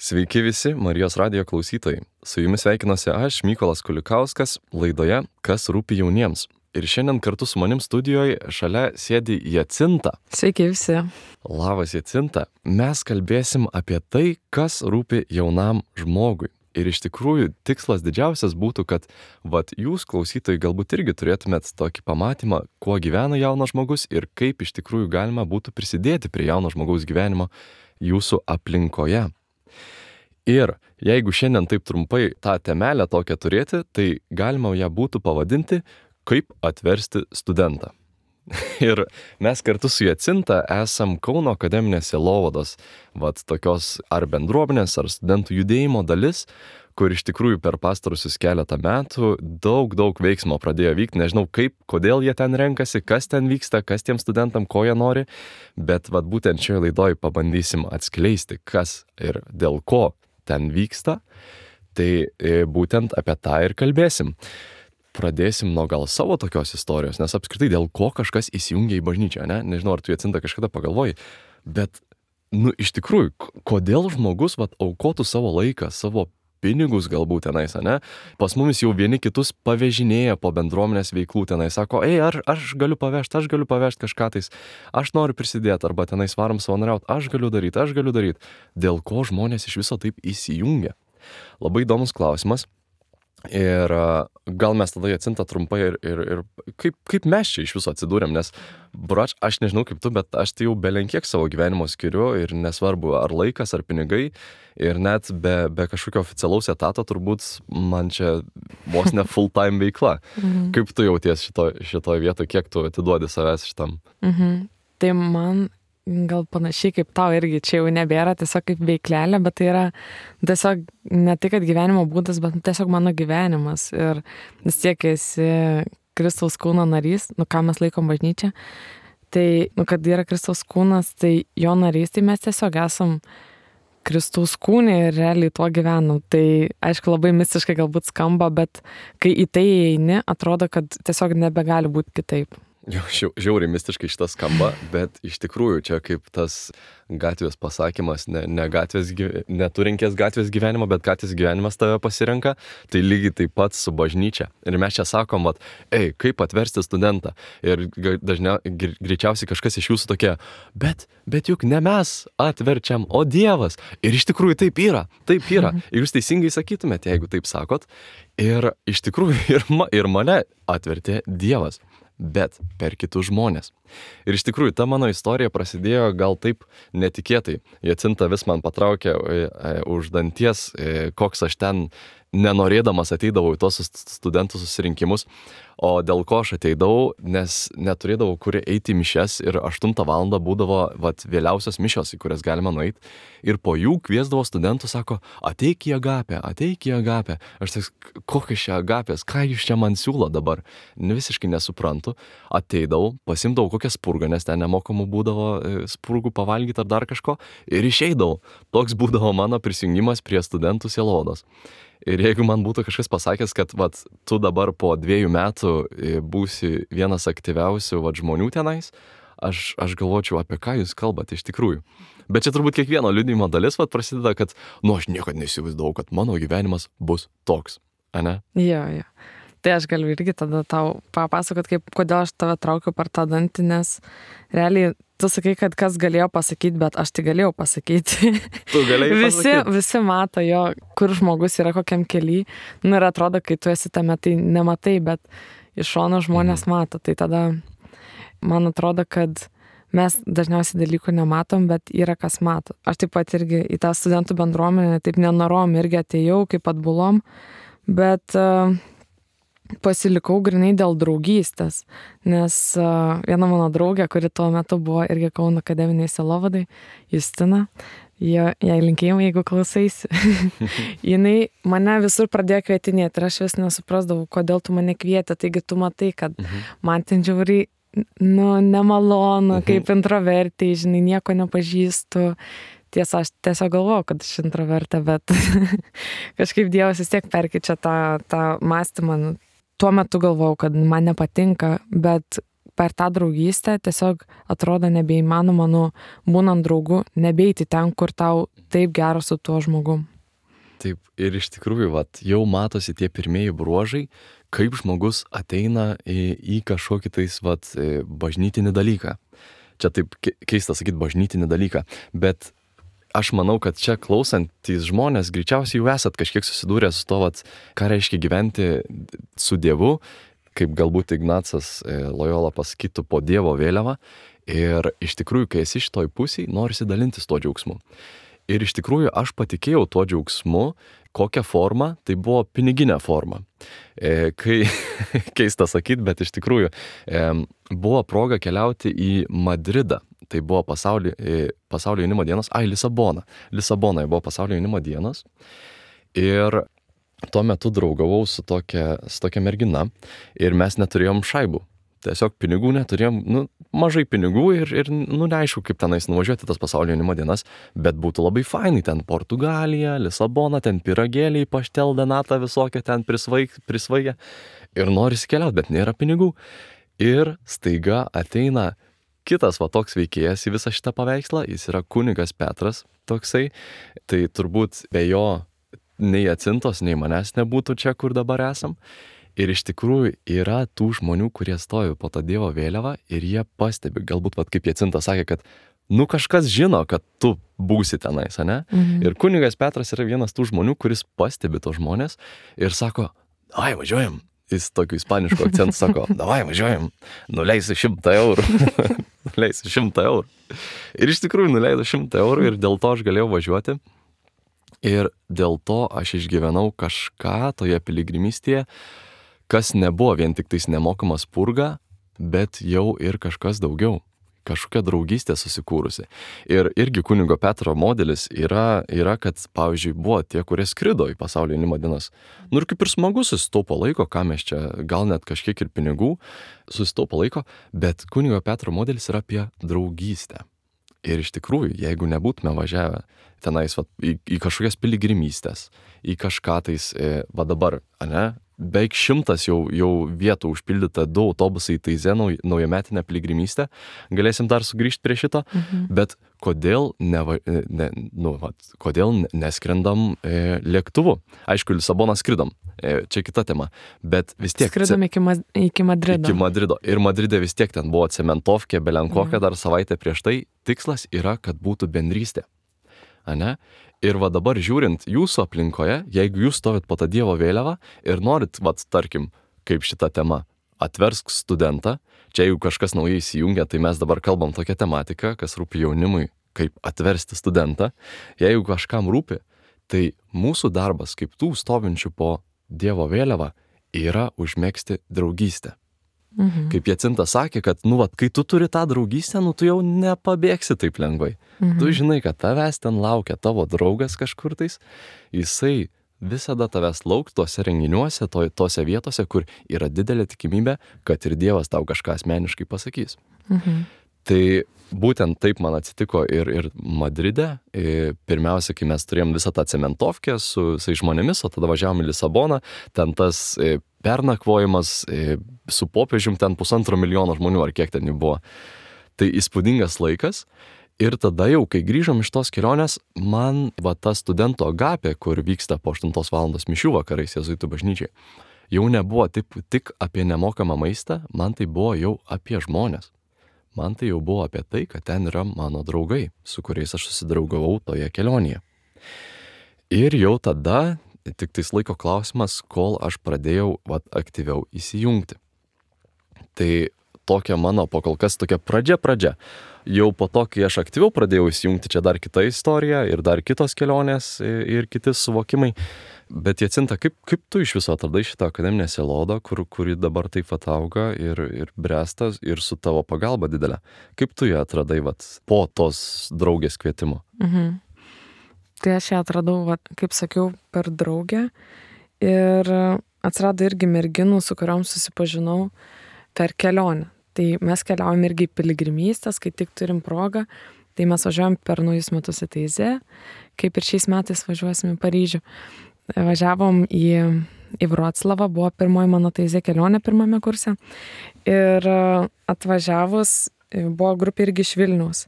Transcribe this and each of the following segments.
Sveiki visi Marijos radijo klausytojai. Su jumis sveikinuosi aš, Mykolas Kulikauskas, laidoje Kas rūpi jauniems. Ir šiandien kartu su manim studijoje šalia sėdi Jacinta. Sveiki visi. Labas Jacinta. Mes kalbėsim apie tai, kas rūpi jaunam žmogui. Ir iš tikrųjų tikslas didžiausias būtų, kad jūs klausytojai galbūt irgi turėtumėt tokį pamatymą, kuo gyvena jaunas žmogus ir kaip iš tikrųjų galima būtų prisidėti prie jauno žmogaus gyvenimo jūsų aplinkoje. Ir jeigu šiandien taip trumpai tą temelę tokią turėti, tai galima ją būtų pavadinti, kaip atversti studentą. Ir mes kartu su Jacinta esam Kauno akademinės sielovados, tokios ar bendruomenės, ar studentų judėjimo dalis, kur iš tikrųjų per pastarusius keletą metų daug veiksmo pradėjo vykti. Nežinau kaip, kodėl jie ten renkasi, kas ten vyksta, kas tiem studentam, ko jie nori, bet būtent šioje laidoje pabandysim atskleisti, kas ir dėl ko ten vyksta, tai būtent apie tą ir kalbėsim. Pradėsim nuo gal savo tokios istorijos, nes apskritai dėl ko kažkas įsijungia į bažnyčią, ne? Nežinau, ar tu Jacinta kažkada pagalvoji, bet, iš tikrųjų, kodėl žmogus aukotų savo laiką, savo pinigus galbūt tenais, ne? Pas mumis jau vieni kitus pavežinėja po bendruomenės veiklų tenais, sako, ar aš galiu pavežti kažką tais, aš noriu prisidėti, arba tenais varom savanoriauti, aš galiu daryti. Dėl ko žmonės iš viso taip įsijungia? Labai įdomus klausimas. Ir gal mes tada Jacinta trumpai ir kaip mes čia iš viso atsidūrėm, nes brač, aš nežinau kaip tu, bet aš tai jau belenkiek savo gyvenimo skiriu ir nesvarbu ar laikas, ar pinigai ir net be kažkokio oficialaus etato turbūt man čia vos ne full time veikla. Kaip tu jauties šitoj vietoj, kiek tu atiduodi savęs šitam? Tai man gal panašiai kaip tau irgi čia jau nebėra tiesiog kaip veiklelė, bet tai yra tiesiog ne tai, kad gyvenimo būdas, bet tiesiog mano gyvenimas. Ir vis tiek esi Kristaus kūno narys, ką mes laikom bažnyčią, tai, kad yra Kristaus kūnas, tai jo narys, tai mes tiesiog esam Kristaus kūne ir realiai tuo gyvenam. Tai aišku labai mistiškai galbūt skamba, bet kai į tai eini, atrodo, kad tiesiog nebegali būti kitaip. Žiauriai mistiškai šitas skamba, bet iš tikrųjų čia kaip tas gatvės pasakymas, neturinkės gatvės gyvenimo, bet gatvės gyvenimas tave pasirenka, tai lygiai taip pat su bažnyčia. Ir mes čia sakom, kaip atversti studentą. Ir greičiausiai kažkas iš jūsų tokie, bet juk ne mes atverčiam, o Dievas. Ir iš tikrųjų taip yra. Ir jūs teisingai sakytumėte, jeigu taip sakot. Ir iš tikrųjų ir mane atvertė Dievas, bet per kitus žmonės. Ir iš tikrųjų, ta mano istorija prasidėjo gal taip netikėtai. Jacinta vis man patraukė už danties, koks aš ten nenorėdamas ateidavau į tos studentų susirinkimus, o dėl ko aš ateidavau, nes neturėdavau kur eiti į mišias ir 8 valandą būdavo vėliausios mišios, į kurias galima nueiti. Ir po jų kviesdavo studentų, sako, ateik į agapę. Aš tai, kokios čia agapės, ką jūs čia man siūlo dabar? Visiškai nesuprantu. Ateidavau, pasimdavau kokią spurgą, nes ten nemokamų būdavo spurgų pavalgyti ar dar kažko, ir išeidavau. Toks būdavo mano prisijungimas prie studentų sielovados. Ir jeigu man būtų kažkas pasakęs, kad tu dabar po 2 metų būsi vienas aktyviausių žmonių tenais, aš galvočiau, apie ką jūs kalbate iš tikrųjų. Bet čia turbūt kiekvieno liudijimo dalis prasideda, kad aš niekad neįsivaizdavau, kad mano gyvenimas bus toks, ane? Jo. Tai aš galiu irgi tada tau papasakot, kodėl aš tave traukiu per tą dantį, nes realiai tu sakai, kad kas galėjo pasakyti, bet aš tai galėjau pasakyti. Tu galėjai pasakyti? Visi mato jo, kur žmogus yra kokiam kely. Ir atrodo, kai tu esi tame, tai nematai, bet iš šono žmonės mato. Tai tada man atrodo, kad mes dažniausiai dalykų nematom, bet yra kas mato. Aš taip pat irgi į tą studentų bendruomenę taip nenorom irgi atėjau, kaip atbulom, bet pasilikau grinai dėl draugystės, nes viena mano draugė, kuri tuo metu buvo irgi Kauno akademiniai sielovadai, Justina, jai linkėjimai, jeigu klausaisi, jinai mane visur pradėjo kvietinėti ir aš vis nesuprasdavau, kodėl tu mane kvietė, taigi tu matai, kad man ten žiauriai nemalonu, kaip introvertai, žinai, nieko nepažįstu. Tiesa, aš tiesiog galvojau, kad aš introvertė, bet kažkaip Dievas vis tiek perkeičia tą mąstymą. Tuo metu galvojau, kad man nepatinka, bet per tą draugystę tiesiog atrodo nebeįmanoma, būnant draugu, nebeiti ten, kur tau taip gera su tuo žmogum. Taip, ir iš tikrųjų, jau matosi tie pirmieji bruožai, kaip žmogus ateina į kažkokį bažnytinį dalyką. Čia taip keista sakyti bažnytinį dalyką, bet aš manau, kad čia klausantys žmonės greičiausiai jau esat kažkiek susidūrę su to, ką reiškia gyventi su Dievu, kaip galbūt Ignacas Lojola pasakytų, po Dievo vėliava. Ir iš tikrųjų, kai esi šitoj pusėj, norisi dalintis tuo džiaugsmu. Ir iš tikrųjų aš patikėjau tuo džiaugsmu, kokią formą, tai buvo piniginė forma. Kai keista sakyti, bet iš tikrųjų buvo proga keliauti į Madridą. Tai buvo pasaulio jaunimo dienos, Lisabona. Lisabonoje buvo pasaulio jaunimo dienos. Ir tuo metu draugavau su tokia mergina ir mes neturėjom šaibų. Tiesiog pinigų neturėjom, mažai pinigų ir neaišku, kaip tenais nuvažiuoti tas pasaulio jaunimo dienas, bet būtų labai fainai, ten Portugalija, Lisabona, ten pyragėliai, paštel denata visokia, ten prisvaigia ir norisi keliauti, bet nėra pinigų. Ir staiga ateina kitas toks veikėjas į visą šitą paveikslą, jis yra kunigas Petras toksai, tai turbūt be jo nei Jacintos, nei manęs nebūtų čia, kur dabar esam. Ir iš tikrųjų yra tų žmonių, kurie stovi po tą Dievo vėliavą ir jie pastebi, galbūt kaip Jacinta sakė, kad kažkas žino, kad tu būsi tenais, ane? Ir kunigas Petras yra vienas tų žmonių, kuris pastebi tos žmonės ir sako, davai važiuojam. Jis tokiu ispanišku akcentu sako, davai važiuojam, nuleisi 100 eurų. Nuleisi 100 eurų. Ir iš tikrųjų nuleido 100 eurų ir dėl to aš galėjau važiuoti. Ir dėl to aš išgyvenau kažką toje piligrimystėje, kas nebuvo vien tik tais nemokamas purga, bet jau ir kažkas daugiau. Kažkokia draugystė susikūrusi. Ir irgi kunigo Petro modelis yra, kad, pavyzdžiui, buvo tie, kurie skrido į pasaulio jaunimo dienas. Ir kaip ir smagu susitaupo laiko, ką mes čia, gal net kažkiek ir pinigų susitaupo laiko, bet kunigo Petro modelis yra apie draugystę. Ir iš tikrųjų, jeigu nebūtume važiavę tenais į kažkokias piligrimystės, į kažką tais, dabar, ane? Beveik 100 jau vietų užpildyta, 2 autobusai į Taizė naujametinę piligrimystę. Galėsim dar sugrįžti prie šito, bet kodėl neskrendam lėktuvu? Aišku, Lisaboną skridom, čia kita tema, bet vis tiek... Skridom iki Madrido. Iki Madrido. Ir Madride vis tiek ten buvo cementovkė, belenkokia dar savaitę prieš tai. Tikslas yra, kad būtų bendrystė. Ane? Ir dabar žiūrint jūsų aplinkoje, jeigu jūs stovit po tą Dievo vėliavą ir norit, tarkim, kaip šita tema, atversk studentą, čia jeigu kažkas naujai įsijungia, tai mes dabar kalbam tokią tematiką, kas rūpi jaunimui, kaip atversti studentą. Jeigu kažkam rūpi, tai mūsų darbas, kaip tų stovinčių po Dievo vėliavą, yra užmegzti draugystę. Kaip Jacinta sakė, kad, kai tu turi tą draugystę, tu jau nepabėgsi taip lengvai. Tu žinai, kad tavęs ten laukia tavo draugas kažkur tais, jisai visada tavęs lauks tuose renginiuose, tose vietose, kur yra didelė tikimybė, kad ir Dievas tau kažką asmeniškai pasakys. Tai būtent taip man atsitiko ir Madride. Pirmiausia, kai mes turėjom visą tą cementovkę su žmonėmis, o tada važiavom į Lisaboną, ten tas pernakvojimas su popiežium, ten 1,5 milijono žmonių, ar kiek ten jų buvo. Tai įspūdingas laikas. Ir tada jau, kai grįžom iš tos kelionės, man ta studento agapė, kur vyksta po 8 valandos mišių vakarais jėzuitų bažnyčiai, jau nebuvo tik apie nemokamą maistą, man tai buvo jau apie žmonės. Man tai jau buvo apie tai, kad ten yra mano draugai, su kuriais aš susidraugavau toje kelionėje. Ir jau tada, tik tais laiko klausimas, kol aš pradėjau aktyviau įsijungti. Tai tokia mano kol kas tokia pradžia. Jau po to, kai aš aktyviau pradėjau įsijungti, čia dar kita istorija ir dar kitos kelionės ir kiti suvokimai. Bet Jacinta, kaip tu iš viso atradai šitą akademinę sielovadą, kuri dabar taip auga ir bręsta ir su tavo pagalba didelė? Kaip tu ją atradai po tos draugės kvietimo? Tai aš ją atradau, kaip sakiau, per draugę. Ir atsirado irgi merginų, su kuriom susipažinau per kelionę. Tai mes keliaujam irgi į piligrimystės, kai tik turim progą. Tai mes važiuojam per naujus metus į Taizė, kaip ir šiais metais važiuosim į Paryžių. Važiavom į į Vroclavą, buvo pirmoji mano taizė kelionė pirmame kurse. Ir atvažiavus buvo grupė irgi iš Vilniaus.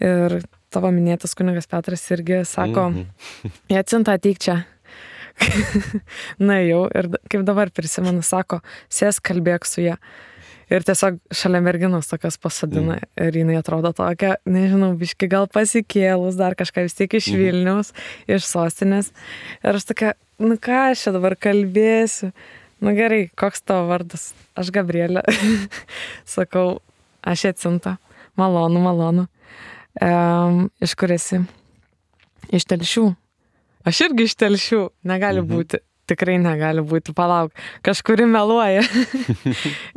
Ir tavo minėtas kunigas Petras irgi sako, Jacinta, ateik čia. Na jau, ir kaip dabar prisimenu, sako, sės kalbėk su ją. Ir tiesiog šalia merginos tokios pasadina. Ir jinai atrodo tokia, nežinau, biški gal pasikėlus, dar kažką vis tiek iš Vilniaus, iš sostinės. Ir aš tokia, nu ką aš čia dabar kalbėsiu? Nu gerai, koks tavo vardas? Aš Gabrielė. Sakau, aš Jacinta. Malonu. Iš kur esi? Iš Telšių. Aš irgi iš Telšių. Negali būti. Tikrai negali būti. Palauk. Kažkuri meluoja.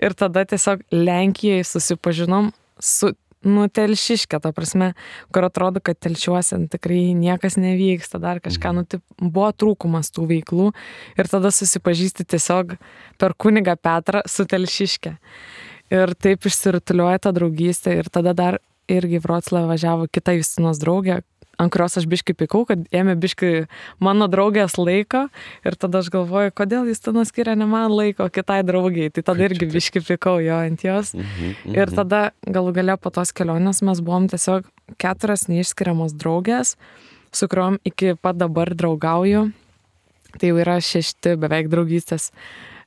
Ir tada tiesiog Lenkijai susipažinom su Telšiške, ta prasme, kur atrodo, kad Telšiuose tikrai niekas nevyksta, dar kažką, buvo trūkumas tų veiklų. Ir tada susipažįsti tiesiog per kunigą Petrą su Telšiške. Ir taip išsirutulioja ta draugystė. Ir tada dar irgi Vroclavą važiavo kita Justinos draugė, ant kurios aš biškai pykau, kad ėmė biškai mano draugės laiko. Ir tada aš galvoju, kodėl Justina skiria ne man laiko, kitai draugiai. Tai tada irgi biškai pykau jo ant jos. Ir tada galų gale po tos kelionės mes buvom tiesiog 4 neišskiriamos draugės, su kuriuom iki pat dabar draugauju. Tai jau yra 6 beveik draugystės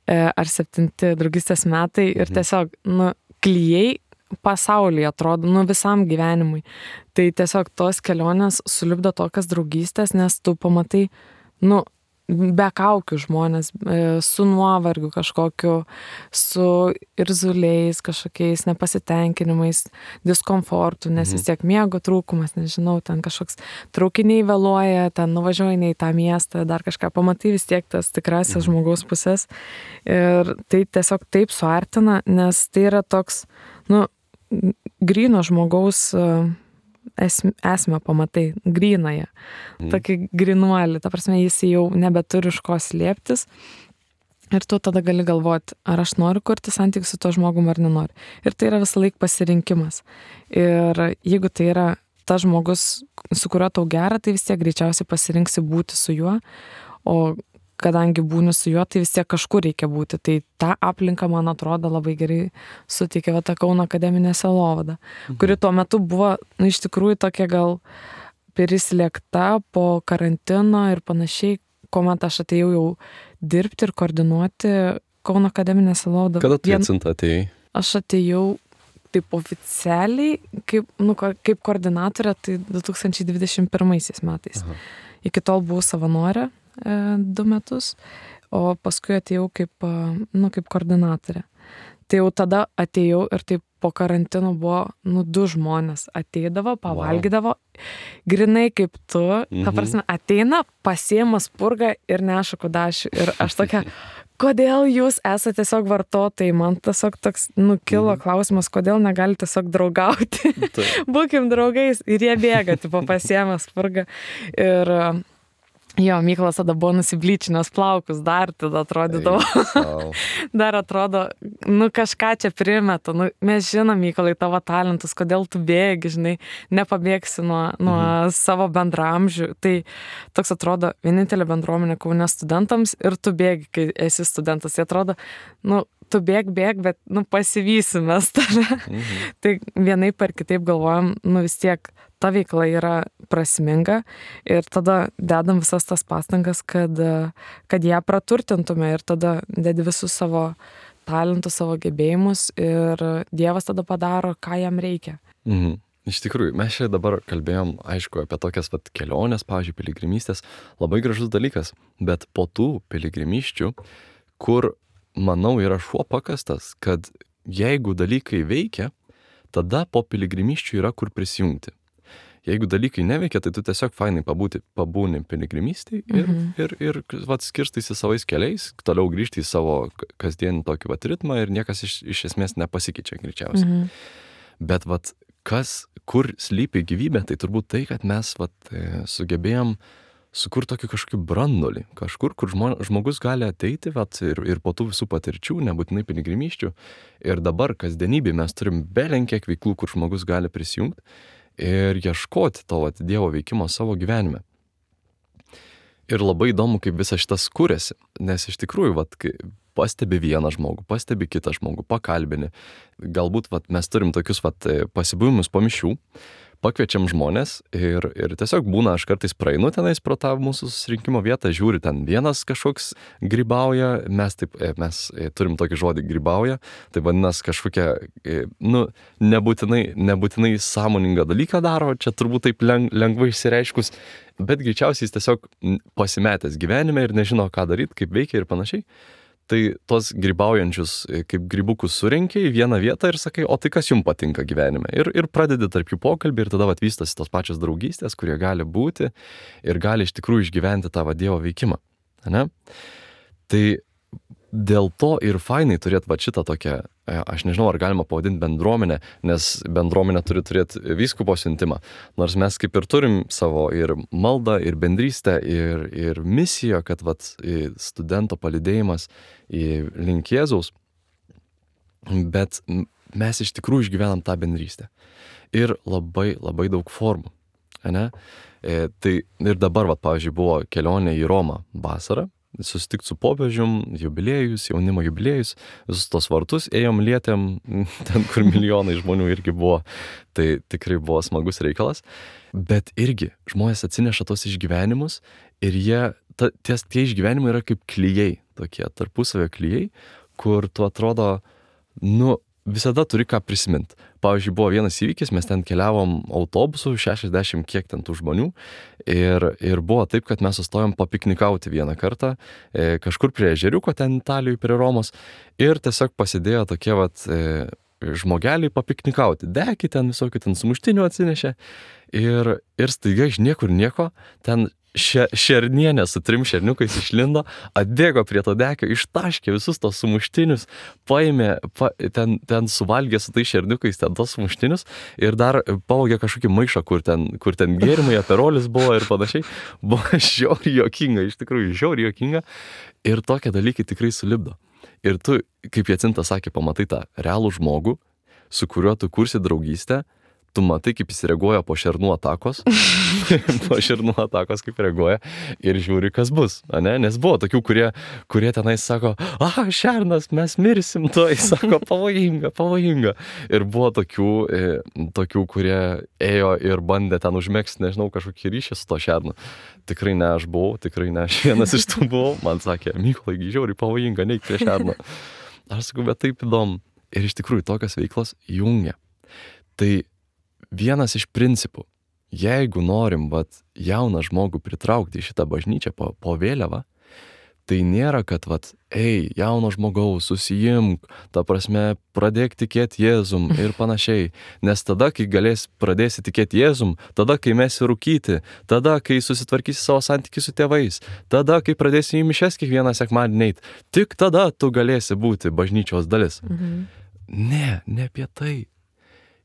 ar 7 draugystės metai. Ir tiesiog, klijai pasaulyje atrodo, visam gyvenimui. Tai tiesiog tos kelionės sulipdo tokias draugystės, nes tu pamatai, be kaukių žmonės, su nuovargiu kažkokiu, su irzuliais, kažkokiais nepasitenkinimais, diskomfortu, nes vis tiek miego trūkumas, nežinau, ten kažkoks traukiniai vėluoja, ten nuvažiuoji ne į tą miestą, dar kažką pamatai vis tiek tas tikrasis žmogaus pusės. Ir tai tiesiog taip suartina, nes tai yra toks, gryno žmogaus esmę pamatai, grynąją, tokį grynuolį, ta prasme, jis jau nebeturi iš ko slėptis ir tu tada gali galvoti, ar aš noriu kurti santykių su to žmogum ar nenoriu. Ir tai yra visą laik pasirinkimas. Ir jeigu tai yra tas žmogus, su kuriuo tau gera, tai vis tiek greičiausiai pasirinksi būti su juo, o kadangi būni su juo, tai vis tiek kažkur reikia būti. Tai ta aplinka, man atrodo, labai gerai suteikė tą Kauno akademinę sielovadą, kuri tuo metu buvo, iš tikrųjų tokia gal prislėgta po karantino ir panašiai, kuomet aš atėjau jau dirbti ir koordinuoti Kauno akademinę sielovadą. Kada tu Jacinta atėjai? Aš atėjau taip oficialiai, kaip koordinatorė, tai 2021 metais. Iki tol buvau savanorė 2 metus, o paskui atėjau kaip koordinatorė. Tai jau tada atėjau ir taip po karantino buvo, 2 žmonės ateidavo, pavalgydavo, grinai kaip tu, ta prasme, ateina, pasiema spurgą ir neša kudašių. Ir aš tokia, kodėl jūs esate tiesiog vartotojai? Man tiesiog toks, kilo klausimas, kodėl negali tiesiog draugauti. Būkim draugais. Ir jie bėga, pasiema spurgą. Ir jo, Mykolas tada buvo nusiblyčinęs plaukus, dar tada atrodydavo. Dar atrodo, kažką čia primeta. Mes žinom, Mykolai, tavo talentus, kodėl tu bėgi, žinai, nepabėgsi nuo savo bendramžių. Tai toks atrodo vienintelė bendruomenė Kaune studentams ir tu bėgi, kai esi studentas. Tai atrodo, tu bėg, bet pasivysim mes tave. Tai vienaip ar kitaip galvojam, vis tiek ta veikla yra prasminga ir tada dedam visas tas pastangas, kad ją praturtintume ir tada dedi visus savo talentus, savo gebėjimus ir Dievas tada padaro, ką jam reikia. Iš tikrųjų, mes čia dabar kalbėjom, aišku, apie tokias keliones, pavyzdžiui, piligrimystės, labai gražus dalykas, bet po tų piligrimysčių, kur, manau, yra šuo pakastas, kad jeigu dalykai veikia, tada po piligrimysčių yra kur prisijungti. Jeigu dalykai neveikia, tai tu tiesiog fainai pabūni piligrimystėj ir skirstaisi savais keliais, toliau grįžti į savo kasdienį tokį ritmą ir niekas iš esmės nepasikeičia greičiausiai. Bet kur slypi gyvybė, tai turbūt tai, kad mes sugebėjom sukurti tokį kažkokį brandolį, kažkur, kur žmogus gali ateiti ir po tų visų patirčių, nebūtinai piligrimysčių. Ir dabar kasdienybėje mes turim belenkiek veiklų, kur žmogus gali prisijungti ir ieškoti to Dievo veikimo savo gyvenime. Ir labai įdomu, kaip visas šitas kūrėsi, nes iš tikrųjų, vat, kai pastebi vieną žmogų, pastebi kitą žmogų, pakalbini. Galbūt vat, mes turim tokius vat, pasibuvimus po mišių, pakviečiam žmonės ir tiesiog būna, aš kartais praeinu tenais pro tą mūsų susirinkimo vietą, žiūri, ten vienas kažkoks grybauja, mes turim tokį žodį grybauja, tai vadinasi kažkokia, nebūtinai sąmoningą dalyką daro, čia turbūt taip lengvai išsireiškus, bet greičiausiai jis tiesiog pasimetęs gyvenime ir nežino, ką daryti, kaip veikia ir panašiai. Tai tos grybaujančius kaip grybukus surenki į vieną vietą ir sakai, o tai kas jums patinka gyvenime? Ir pradedi tarp jų pokalbį ir tada vystosi tos pačios draugystės, kurie gali būti ir gali iš tikrųjų išgyventi tą Dievo veikimą. Ne? Tai dėl to ir fainai turėti šitą tokią, aš nežinau, ar galima pavadinti bendruomenę, nes bendruomenė turi turėti vyskupo siuntimą. Nors mes kaip ir turim savo ir maldą, ir bendrystę, ir misiją, kad studento palydėjimas link Jėzaus, bet mes iš tikrųjų išgyvenam tą bendrystę. Ir labai, labai daug formų. Ne? Tai ir dabar, pavyzdžiui, buvo kelionė į Romą vasarą, susitikti su popiežium, jubiliejus, jaunimo jubiliejus, visus tos vartus ėjom, lietėm, ten kur milijonai žmonių irgi buvo, tai tikrai buvo smagus reikalas, bet irgi žmonės atsineša tos išgyvenimus ir tie išgyvenimai yra kaip klijai, tokie tarpusavio klijai, kur tu atrodo, visada turi ką prisiminti. Pavyzdžiui, buvo vienas įvykis, mes ten keliavom autobusu, 60 kiek ten tų žmonių ir buvo taip, kad mes sustojom papiknikauti vieną kartą kažkur prie ežeriuko ten Italijoje, prie Romos ir tiesiog pasidėjo tokie žmogeliai papiknikauti. Deki ten visokių ten sumuštinių atsinešė ir staiga iš niekur nieko ten šernienė su 3 šerniukais išlindo, atbėgo prie to dekio, ištaškė visus tos sumuštinius, paėmė, ten suvalgė su tais šerniukais ten tos sumuštinius ir dar pavogė kažkokį maišą, kur ten gėrimai, aperolis buvo ir panašiai. Buvo žiauriai juokinga, iš tikrųjų žiauriai juokinga ir tokie dalykai tikrai sulipdo. Ir tu, kaip Jacinta sakė, pamatai tą realų žmogų, su kuriuo tu kursi draugystę, tu matai, kaip jis reaguoja po šernų atakos, kaip reaguoja ir žiūri, kas bus, ne? Nes buvo tokių, kurie tenais sako, šernas, mes mirsim, tai sako, pavojinga. Ir buvo tokių, kurie ėjo ir bandė ten užmegzti, nežinau, kažkokį ryšį su to šernu. Tikrai ne aš vienas iš tų buvau, man sakė, Mykolai, žiauriai pavojinga, neik prie šerno. Aš sakau, bet taip įdomu. Ir iš tikrųjų tokios veiklos jungia. Tai vienas iš principų, jeigu norim jauną žmogų pritraukti į šitą bažnyčią po vėliavą, tai nėra, kad jauno žmogaus, susijimk, ta prasme, pradėk tikėti Jėzum ir panašiai. Nes tada, kai pradėsi tikėti Jėzum, tada, kai mesi rūkyti, tada, kai susitvarkysi savo santykį su tėvais, tada, kai pradėsi į mišias kiekvieną sekmadienį eit, tik tada tu galėsi būti bažnyčios dalis. Ne apie tai.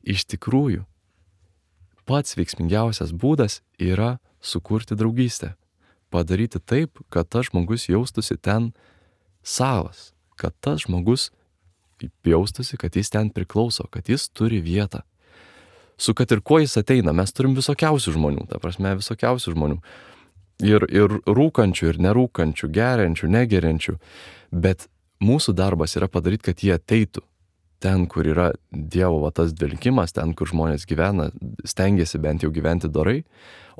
Iš tikrųjų, pats veiksmingiausias būdas yra sukurti draugystę. Padaryti taip, kad tas žmogus jaustųsi ten savas, kad tas žmogus jaustųsi, kad jis ten priklauso, kad jis turi vietą. Su kad ir kuo jis ateina, mes turim visokiausių žmonių, visokiausių žmonių. Ir rūkančių, ir nerūkančių, geriančių, negeriančių. Bet mūsų darbas yra padaryti, kad jie ateitų. Ten, kur yra Dievo tas dvelkimas, ten, kur žmonės gyvena, stengiasi bent jau gyventi dorai,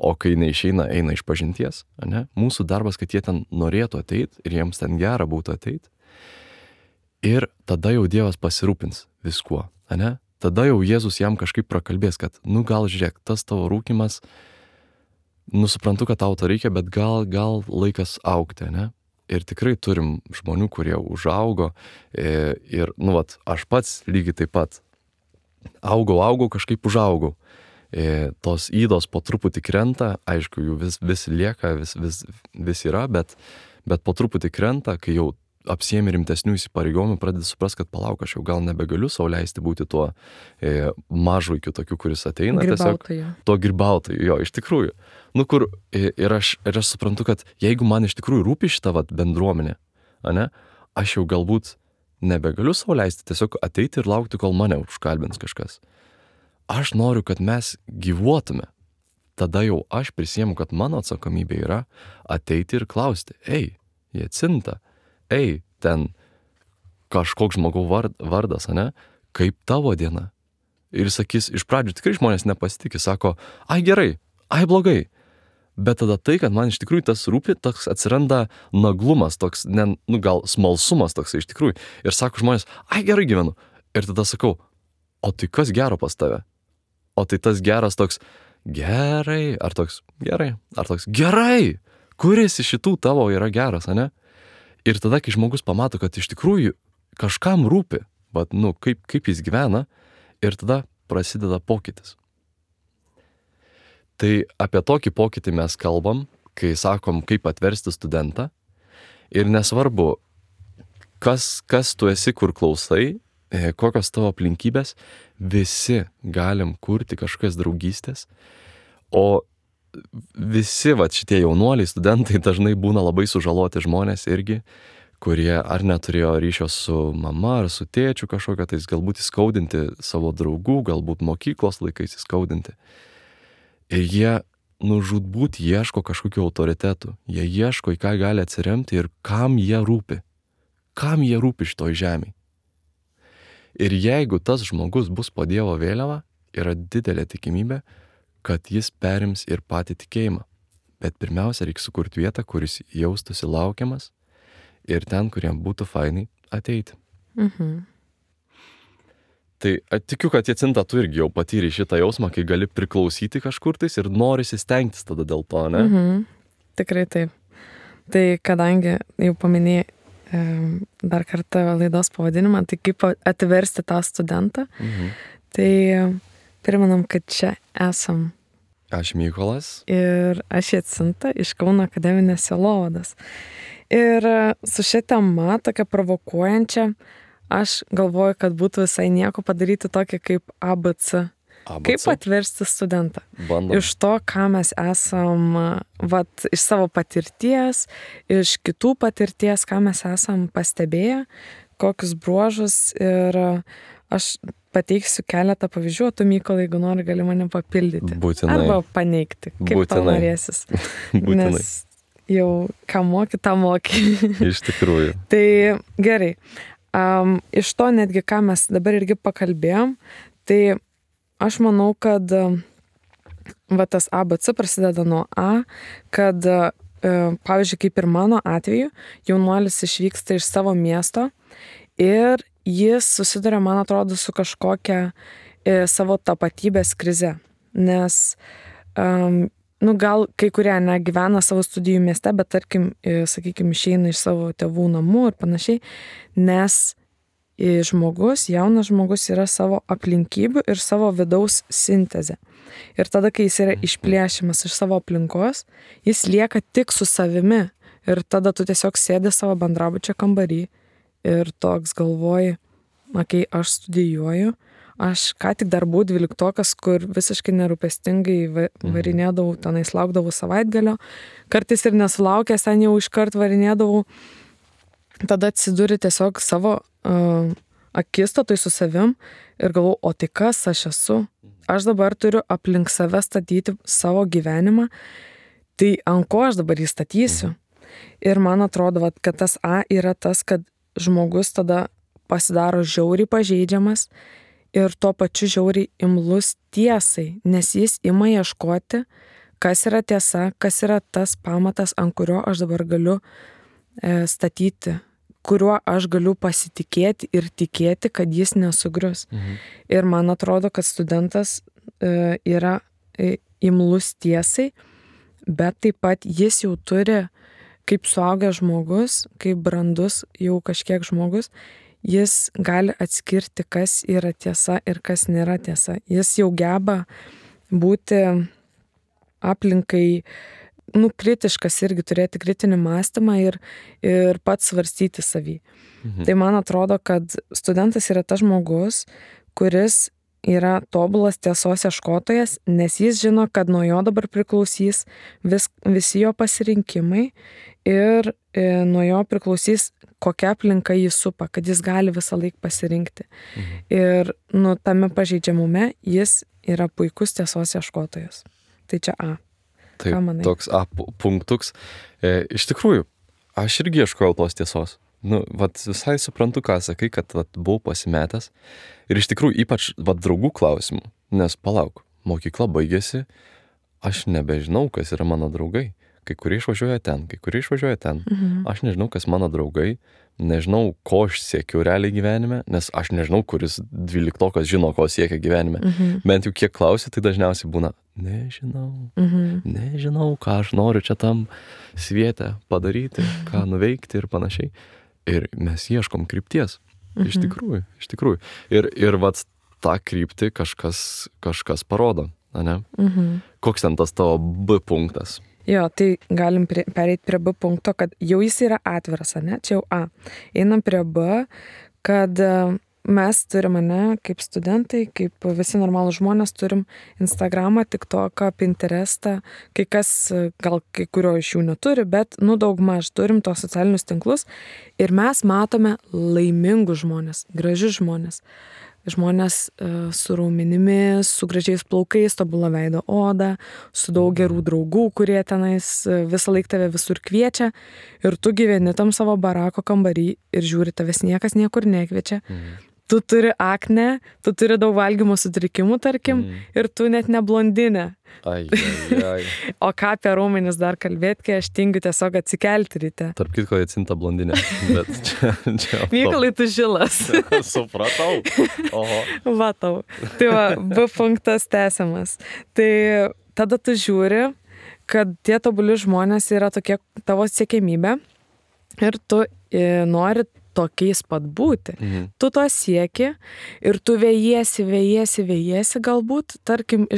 o kai neišeina, eina iš pažinties. Ne? Mūsų darbas, kad jie ten norėtų ateiti ir jiems ten gera būtų ateiti. Ir tada jau Dievas pasirūpins viskuo. Ne? Tada jau Jėzus jam kažkaip prakalbės, kad, gal žiūrėk, tas tavo rūkymas, suprantu, kad tau to reikia, bet gal laikas augti, ne? Ir tikrai turim žmonių, kurie užaugo ir, aš pats lygiai taip pat augau, kažkaip užaugau. Tos įdos po truputį krenta, aišku, jų vis lieka, vis yra, bet po truputį krenta, kai jau apsiemi rimtesnių įsipareigojimų, pradedi suprast, kad palauk, aš jau gal nebegaliu sau leisti būti tuo mažuikiu tokiu, kuris ateina. Tuo grybautoju, jo, iš tikrųjų. Ir aš suprantu, kad jeigu man iš tikrųjų rūpi šita bendruomenė, aš jau galbūt nebegaliu sau leisti tiesiog ateiti ir laukti, kol mane užkalbins kažkas. Aš noriu, kad mes gyvuotume tada jau aš prisiemu, kad mano atsakomybė yra ateiti ir klausti, Jacinta, ten kažkoks žmogau vardas, ane, kaip tavo diena? Ir sakys, iš pradžių tikrai žmonės nepasitikė, sako, gerai, blogai. Bet tada tai, kad man iš tikrųjų tas rūpi, toks atsiranda naglumas, toks, gal smalsumas toks iš tikrųjų. Ir sako žmonės, gerai gyvenu. Ir tada sakau, o tai kas gero pas tave? O tai tas geras toks, gerai, ar toks gerai, kuris iš šitų tavo yra geras, ane? Ir tada, kai žmogus pamato, kad iš tikrųjų kažkam rūpi, kaip jis gyvena, ir tada prasideda pokytis. Tai apie tokį pokytį mes kalbam, kai sakom, kaip atversti studentą. Ir nesvarbu, kas tu esi, kur klausai, kokios tavo aplinkybės, visi galim kurti kažkokias draugystės. O visi šitie jaunuoliai, studentai dažnai būna labai sužaloti žmonės irgi, kurie ar neturėjo ryšio su mama ar su tėčiu kažkokia, tai galbūt įskaudinti savo draugų, galbūt mokyklos laikais įskaudinti. Ir jie žūtbūt ieško kažkokių autoritetų, jie ieško, į ką gali atsiremti ir kam jie rūpi šitoj žemėj. Ir jeigu tas žmogus bus po Dievo vėliava, yra didelė tikimybė, kad jis perims ir patį tikėjimą. Bet pirmiausia, reikia sukurti vietą, kuris jaustųsi laukiamas ir ten, kuriem būtų fainai ateiti. Tai tikiu, kad Jacinta, tu irgi jau patyrei šitą jausmą, kai gali priklausyti kažkur tais ir norisi stengtis tada dėl to, ne? Tikrai taip. Tai kadangi jau paminėjai dar kartą laidos pavadinimą, tai kaip atversti tą studentą, tai primenam, kad čia esam. Aš Mykolas. Ir aš Jacinta iš Kauno akademinės sielovados. Ir su šia tema, tokia provokuojančia, aš galvoju, kad būtų visai nieko padaryti tokį kaip ABC. Kaip atversti studentą. Bandom. Iš to, ką mes esam, iš savo patirties, iš kitų patirties, ką mes esam pastebėję, kokius bruožus. Ir aš pateiksiu keletą pavyzdžių, o tu, Mykolai, jeigu nori, gali mane papildyti. Būtinai. Arba paneigti, kaip tau norėsis. Būtinai. Nes jau ką moki, tą moki. Iš tikrųjų. Tai gerai. Iš to netgi, ką mes dabar irgi pakalbėjom, tai aš manau, kad tas ABC prasideda nuo A, kad, pavyzdžiui, kaip ir mano atveju, jaunuolis išvyksta iš savo miesto ir jis susiduria, man atrodo, su kažkokia savo tapatybės krize. Nes, gal kai kurie negyvena savo studijų mieste, bet tarkim, sakykime, išeina iš savo tėvų namų ir panašiai, nes jaunas žmogus yra savo aplinkybių ir savo vidaus sintezė. Ir tada, kai jis yra išplėšimas iš savo aplinkos, jis lieka tik su savimi. Ir tada tu tiesiog sėdi savo bendrabučio kambarį ir toks galvoji, kai aš studijuoju, aš ką tik dar buvau 12-okas, kur visiškai nerūpestingai varinėdavau, tenais laukdavau savaitgalio, kartais ir nesulaukęs, ten jau iškart varinėdavau. Tada atsiduri tiesiog savo akistatoj su savim ir galvoju, o tai kas aš esu? Aš dabar turiu aplink save statyti savo gyvenimą, tai ant ko aš dabar jį statysiu? Ir man atrodo, kad tas A yra tas, kad žmogus tada pasidaro žiauriai pažeidžiamas ir tuo pačiu žiauriai imlus tiesai, nes jis ima ieškoti, kas yra tiesa, kas yra tas pamatas, ant kurio aš dabar galiu statyti, kuriuo aš galiu pasitikėti ir tikėti, kad jis nesugrius. Ir man atrodo, kad studentas yra imlus tiesai, bet taip pat jis jau turi, kaip suaugęs žmogus, kaip brandus jau kažkiek žmogus, jis gali atskirti, kas yra tiesa ir kas nėra tiesa. Jis jau geba būti aplinkai kritiškas irgi, turėti kritinį mąstymą ir pats svarstyti savį. Tai man atrodo, kad studentas yra tas žmogus, kuris yra tobulas tiesos ieškotojas, nes jis žino, kad nuo jo dabar priklausys visi jo pasirinkimai ir nuo jo priklausys, kokia aplinka jį supa, kad jis gali visą laiką pasirinkti. Ir tame pažeidžiamume jis yra puikus tiesos ieškotojas. tai čia A. Taip, Ką manai? toks A punktuks. Iš tikrųjų, aš irgi ieškojau tos tiesos. Visai suprantu, ką sakai, kad buvau pasimetęs. Ir iš tikrųjų, ypač draugų klausimų. Nes palauk, mokykla baigėsi, aš nebežinau, kas yra mano draugai. Kai kurie išvažiuoja ten, kai kurie išvažiuoja ten. Aš nežinau, kas mano draugai, nežinau, ko aš siekiu realiai gyvenime, nes aš nežinau, kuris 12-okas žino, ko siekia gyvenime. Bent jau kiek klausia, tai dažniausiai būna, nežinau, ką aš noriu čia tam sviete padaryti, ką nuveikti ir panašiai. Ir mes ieškom krypties. Iš tikrųjų. Ir tą kryptį kažkas parodo, ne? Koks ten tas tavo B punktas? Jo, tai galim pereiti prie B punkto, kad jau jis yra atviras, ne? Čia jau A. Einam prie B, kad mes turim, ne, kaip studentai, kaip visi normalūs žmonės, turim Instagramą, TikToką, Pinterestą, kai kas, gal kai kurio iš jų neturi, bet, daugmaž turim tos socialinius tinklus ir mes matome laimingus žmonės, gražius žmonės. Žmonės su raumenimis, su gražiais plaukais, tobula veido oda, su daug gerų draugų, kurie tenais visą laiką tave visur kviečia ir tu gyveni tam savo barako kambarį ir žiūri, tavęs niekas niekur nekviečia. Tu turi aknę, tu turi daug valgymo sutrikimų, tarkim, ir tu net ne blondinė. O ką apie raumenis dar kalbėti, kai aš tingiu tiesiog atsikelti ryte. Tarp kitko, Jacinta blondinė, bet čia... Mykolai, tu žilas. Supratau. Oho. Vatau. Tai B punktas tęsiamas. Tai tada tu žiūri, kad tie tobuli žmonės yra tokie tavo siekiamybė ir tu nori tokiais pat būti. Tu to sieki ir tu vėjiesi galbūt, tarkim,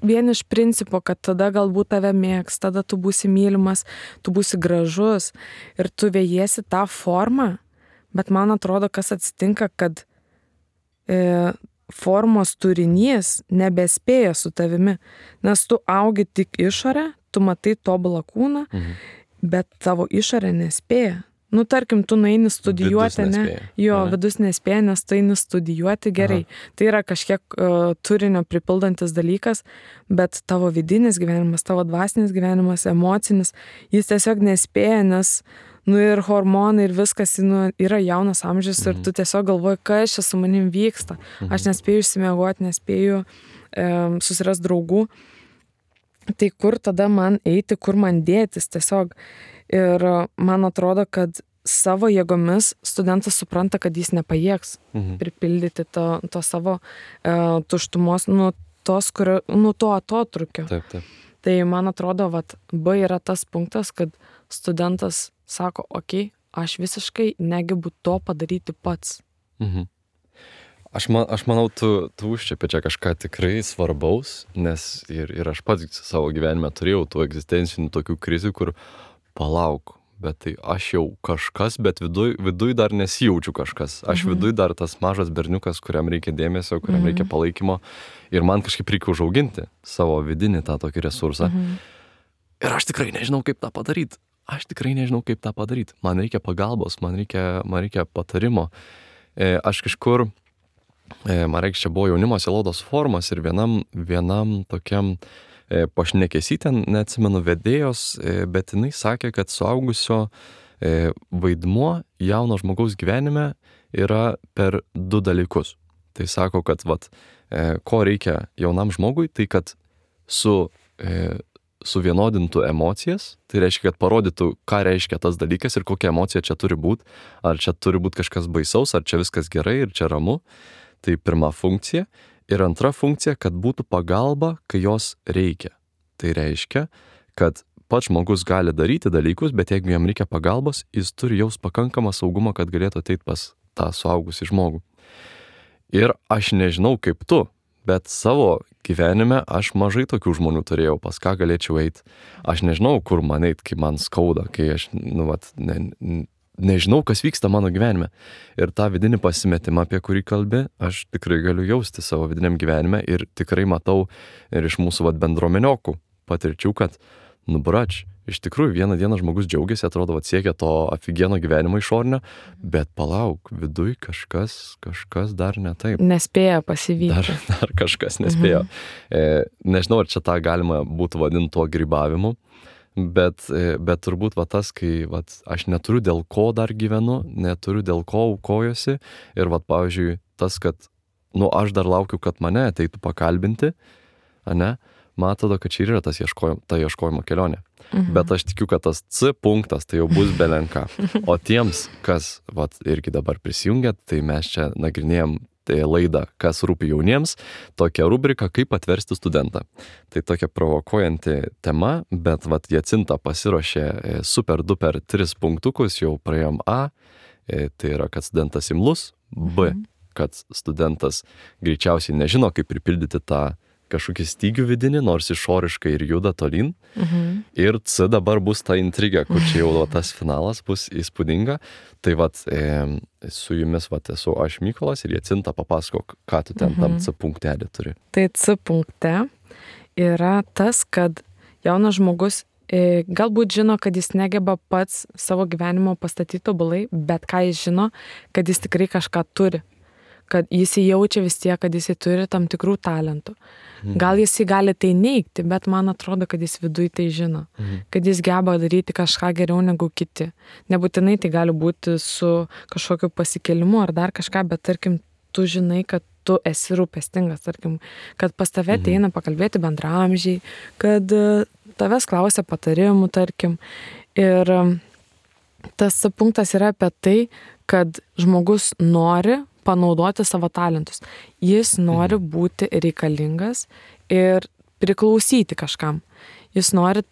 vien iš principo, kad tada galbūt tave mėgs, tada tu būsi mylimas, tu būsi gražus ir tu vėjiesi tą formą, bet man atrodo, kas atsitinka, kad formos turinys nebespėja su tavimi, nes tu augi tik išorę, tu matai tobulą kūną, bet tavo išorė nespėja. Tarkim, tu nueini studijuoti, vidus nespėja, nes tu eini studijuoti gerai. Tai yra kažkiek turinio pripildantis dalykas, bet tavo vidinis gyvenimas, tavo dvasinis gyvenimas, emocinis, jis tiesiog nespėja, nes ir hormonai ir viskas yra jaunas amžius ir tu tiesiog galvoji, kas čia su manim vyksta. Aš nespėju išsimiegoti, nespėju susirasti draugų. Tai kur tada man eiti, kur man dėtis tiesiog. Ir man atrodo, kad savo jėgomis studentas supranta, kad jis nepajėgs pripildyti to savo tuštumos, to atotrukio. Taip. Tai man atrodo, B yra tas punktas, kad studentas sako, okei, aš visiškai negebu to padaryti pats. Aš manau, tu užčiapi čia kažką tikrai svarbaus, nes ir aš pats savo gyvenime turėjau tų egzistencinių tokių krizių, kur palauk, bet tai aš jau kažkas, bet viduj dar nesijaučiu kažkas. Aš viduj dar tas mažas berniukas, kuriam reikia dėmesio, kuriam reikia palaikymo ir man kažkaip reikia užauginti savo vidinį tą tokį resursą. Ir aš tikrai nežinau, kaip tą padaryti. Man reikia pagalbos, man reikia patarimo. Aš kažkur, čia buvo jaunimo sielovados forumas ir vienam tokiam pašnekesy ten, neatsimenu vedėjos, bet jinai sakė, kad suaugusio vaidmuo jauno žmogaus gyvenime yra per 2 dalykus. Tai sako, kad ko reikia jaunam žmogui, tai kad suvienodintų emocijas, tai reiškia, kad parodytų, ką reiškia tas dalykas ir kokia emocija čia turi būti, ar čia turi būti kažkas baisaus, ar čia viskas gerai ir čia ramu. Tai pirma funkcija. Ir antra funkcija, kad būtų pagalba, kai jos reikia. Tai reiškia, kad pats žmogus gali daryti dalykus, bet jeigu jam reikia pagalbos, jis turi jaus pakankamą saugumą, kad galėtų ateiti pas tą suaugusį žmogų. Ir aš nežinau kaip tu, bet savo gyvenime aš mažai tokių žmonių turėjau, pas ką galėčiau eiti. Aš nežinau, kur man eiti, kai man skauda, kai aš, nežinau, kas vyksta mano gyvenime. Ir tą vidinį pasimetimą, apie kurį kalbi, aš tikrai galiu jausti savo vidiniam gyvenime ir tikrai matau ir iš mūsų bendruomeniokų patirčių, kad brač, iš tikrųjų vieną dieną žmogus džiaugiasi, atrodo, siekia to afigieno gyvenimo išorinio, bet palauk, viduj kažkas dar ne taip. Nespėja pasivyti. Dar kažkas nespėjo. Nežinau, ar čia tą galima būtų vadinti tuo grybavimu, bet turbūt tas, kai aš neturiu dėl ko dar gyvenu, neturiu dėl ko aukojosi ir pavyzdžiui, tas, kad aš dar laukiu, kad mane ateitų pakalbinti, ane? Man atrodo, kad čia yra ta ieškojimo kelionė. Bet aš tikiu, kad tas C punktas tai jau bus belenka. O tiems, kas irgi dabar prisijungia, tai mes čia nagrinėjom laidą, kas rūpi jauniems, tokia rubrika, kaip atversti studentą. Tai tokia provokuojanti tema, bet Jacinta pasiruošė super duper 3 punktukus, jau praėjom A, tai yra, kad studentas imlus, B, kad studentas greičiausiai nežino, kaip pripildyti tą kažkokį stygių vidinį, nors išoriškai ir juda tolyn. Ir C dabar bus ta intriga, kur čia jau tas finalas bus įspūdinga. Tai su jumis esu aš Mykolas ir Jacinta, papasakok, ką tu ten tam C punktelį turi. Tai C punkte yra tas, kad jaunas žmogus galbūt žino, kad jis negeba pats savo gyvenimo pastatyti tobulai, bet ką jis žino, kad jis tikrai kažką turi. Kad jis jaučia vis tiek, kad jis turi tam tikrų talentų. Gal jis gali tai neigti, bet man atrodo, kad jis viduj tai žino. Kad jis geba daryti kažką geriau negu kiti. Nebūtinai tai gali būti su kažkokiu pasikėlimu ar dar kažką, bet tarkim, tu žinai, kad tu esi rūpestingas, tarkim, kad pas tave ateina pakalbėti bendraamžiai, kad tavęs klausia patarimų, tarkim. Ir tas punktas yra apie tai, kad žmogus nori panaudoti savo talentus. Jis nori būti reikalingas ir priklausyti kažkam. Jis nori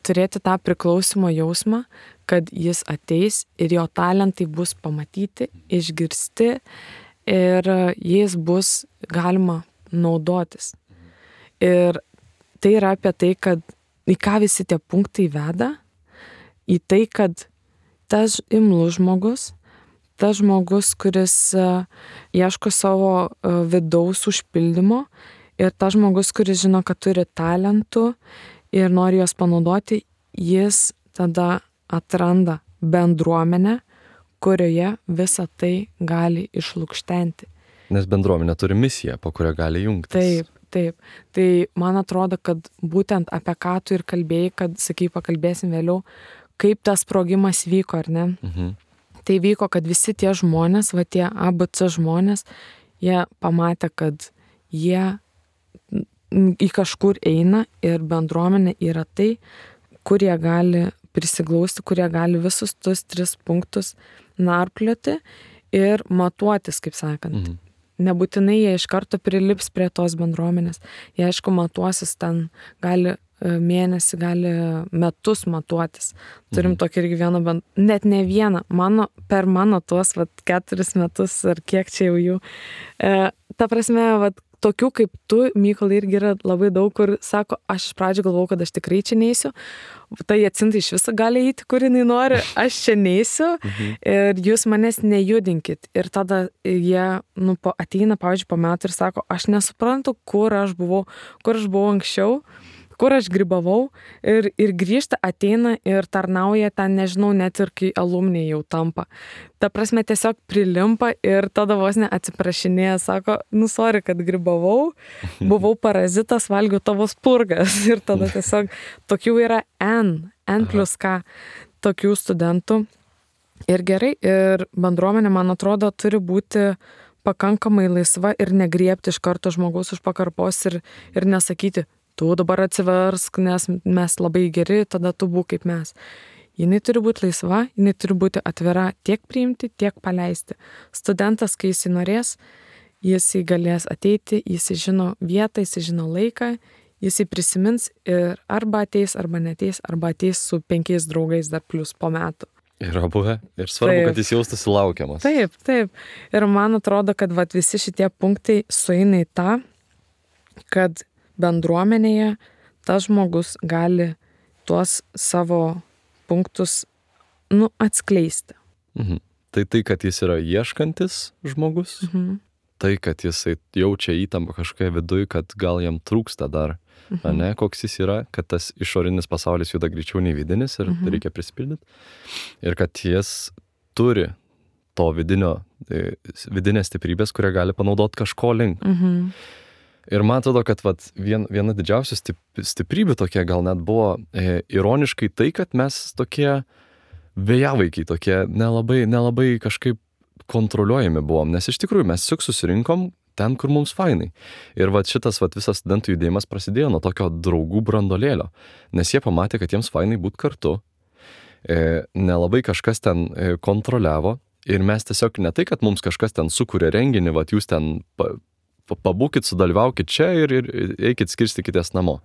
turėti tą priklausimo jausmą, kad jis ateis ir jo talentai bus pamatyti, išgirsti ir jais bus galima naudotis. Ir tai yra apie tai, kad į ką visi tie punktai veda, į tai, kad tas imlus žmogus, tas žmogus, kuris ieško savo vidaus užpildymo ir tas žmogus, kuris žino, kad turi talentų ir nori juos panaudoti, jis tada atranda bendruomenę, kurioje visą tai gali išlukštenti. Nes bendruomenė turi misiją, po kurią gali jungtis. Taip. Tai man atrodo, kad būtent apie ką tu ir kalbėjai, kad, sakai, pakalbėsim vėliau, kaip tas sprogimas vyko, ar ne? Tai vyko, kad visi tie žmonės, tie ABC žmonės, jie pamatė, kad jie į kažkur eina ir bendruomenė yra tai, kur jie gali prisiglausti, kur jie gali visus tus 3 punktus narplioti ir matuotis, kaip sakant. Nebūtinai jie iš karto prilips prie tos bendruomenės. Jie, aišku, matuosis ten, gali mėnesį, gali metus matuotis. Turim tokį irgi vieną, net ne vieną, per mano tuos 4 metus ar kiek čia jau jų. Ta prasme, tokių kaip tu, Mykolai, irgi yra labai daug, kur sako, aš iš pradžių galvau, kad aš tikrai čia neisiu. Ta Jacinta iš viso gali eiti, kur jinai nori, aš čia neisiu ir jūs manęs nejudinkit. Ir tada jie ateina, pavyzdžiui, po metų ir sako, aš nesuprantu, kur aš buvau anksčiau, kur aš grybavau ir grįžta, ateina ir tarnauja ten, nežinau, net ir kai alumniai jau tampa. Ta prasme, tiesiog prilimpa ir tada vos neatsiprašinėja, sako, sorry, kad grybavau, buvau parazitas, valgiau tavo spurgas. Ir tada tiesiog tokių yra N plus K tokių studentų. Ir gerai, ir bendruomenė, man atrodo, turi būti pakankamai laisva ir negriebti iš karto žmogaus už pakarpos ir nesakyti, tu dabar atsiversk, nes mes labai geri, tada tu būk kaip mes. Jinai turi būti laisva, jinai turi būti atvira tiek priimti, tiek paleisti. Studentas, kai jis norės, jis galės ateiti, jis žino vietą, jis žino laiką, jis prisimins ir arba ateis, arba neteis, arba ateis su 5 draugais dar plus po metų. Yra buvę. Ir svarbu, kad jis jaustųsi laukiamas. Taip. Ir man atrodo, kad visi šitie punktai sueina į tą, kad bendruomenėje tas žmogus gali tuos savo punktus atskleisti. Tai, kad jis yra ieškantis žmogus, tai, kad jisai jaučia įtampą kažkokią viduje, kad gal jam trūksta dar, ne, koks jis yra, kad tas išorinis pasaulis juda greičiau nei vidinis ir reikia prisipildyti. Ir kad jis turi to vidinės stiprybės, kurią gali panaudoti kažko link. Ir man atrodo, kad viena didžiausių stiprybių tokia gal net buvo ironiškai tai, kad mes tokie vėjavaikiai, tokie nelabai kažkaip kontroliuojami buvom, nes iš tikrųjų mes tik susirinkom ten, kur mums fainai. Ir šitas visas studentų judėjimas prasidėjo nuo tokio draugų brandolėlio, nes jie pamatė, kad jiems fainai būt kartu, nelabai kažkas ten kontroliavo ir mes tiesiog ne tai, kad mums kažkas ten sukūrė renginį, jūs ten pabūkit, sudalyvaukit čia ir eikit skirstykitės namo.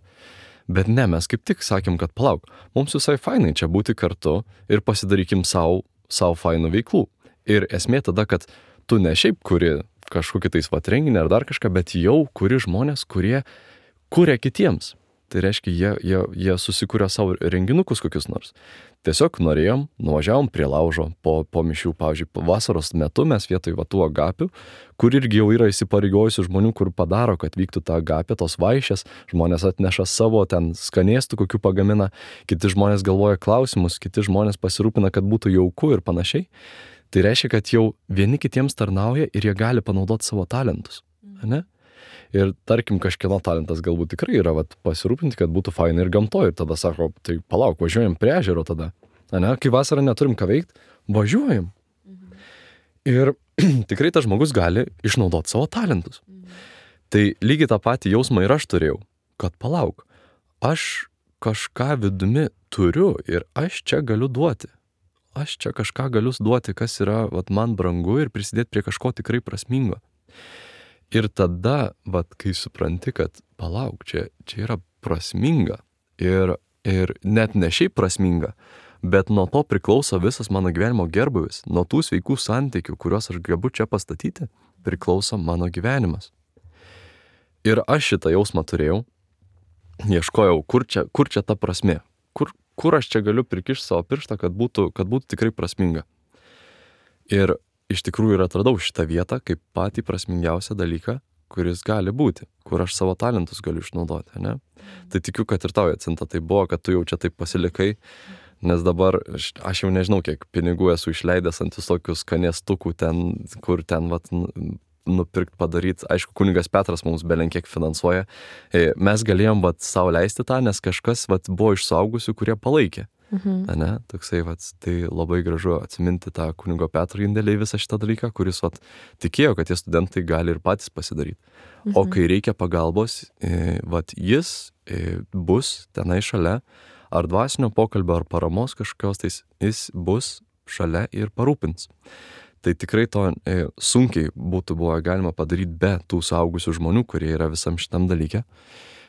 Bet ne, mes kaip tik sakėm, kad palauk, mums visai fainai čia būti kartu ir pasidarykim savo fainų veiklų. Ir esmė tada, kad tu ne šiaip kuri kažkokį tais renginį ar dar kažką, bet jau kuri žmonės, kurie kuria kitiems. Tai reiškia, jie susikūrė savo renginukus kokius nors. Tiesiog norėjom, nuvažiavom prie laužo po mišių, pavyzdžiui, vasaros metu mes vietoj tų agapių, kur irgi jau yra įsipareigojusių žmonių, kur padaro, kad vyktų ta agapė, tos vaišės, žmonės atneša savo ten skanėstų, kokių pagamina, kiti žmonės galvoja klausimus, kiti žmonės pasirūpina, kad būtų jauku ir panašiai. Tai reiškia, kad jau vieni kitiems tarnauja ir jie gali panaudoti savo talentus, ne? Ir tarkim, kažkieno talentas galbūt tikrai yra pasirūpinti, kad būtų fainai ir gamtoje. Ir tada sako, tai palauk, važiuojam prie ežero tada. Ne? Kai vasarą neturim ką veikti, važiuojam. Ir tikrai tas žmogus gali išnaudoti savo talentus. Tai lygiai tą patį jausmą ir aš turėjau, kad palauk, aš kažką vidumi turiu ir aš čia galiu duoti. Aš čia kažką galiu duoti, kas yra man brangu ir prisidėti prie kažko tikrai prasmingo. Ir tada, kai supranti, kad palauk, čia yra prasminga ir net ne šiaip prasminga, bet nuo to priklauso visas mano gyvenimo gerbūvis, nuo tų sveikų santykių, kuriuos aš gebu čia pastatyti, priklauso mano gyvenimas. Ir aš šitą jausmą turėjau, ieškojau, kur čia ta prasmė, kur aš čia galiu prikišti savo pirštą, kad būtų tikrai prasminga. Ir iš tikrųjų ir atradau šitą vietą kaip patį prasmingiausią dalyką, kuris gali būti, kur aš savo talentus galiu išnaudoti, ne? Tai tikiu, kad ir tau, Jacinta, tai buvo, kad tu jau čia taip pasilikai, nes dabar aš jau nežinau, kiek pinigų esu išleidęs ant visokių skanėstukų ten, kur ten nupirkt padaryti. Aišku, kunigas Petras mums belenkiek finansuoja. Mes galėjom savo leisti tą, nes kažkas buvo iš suaugusių, kurie palaikė. Ne? Toksai, tai labai gražu atsiminti tą kunigo Petro indėlį į visą šitą dalyką, kuris tikėjo, kad tie studentai gali ir patys pasidaryti. O kai reikia pagalbos, jis bus tenai šalia, ar dvasinio pokalbio, ar paramos kažkokios, tai jis bus šalia ir parūpins. Tai tikrai to sunkiai būtų buvo galima padaryti be tų suaugusių žmonių, kurie yra visam šitam dalyke.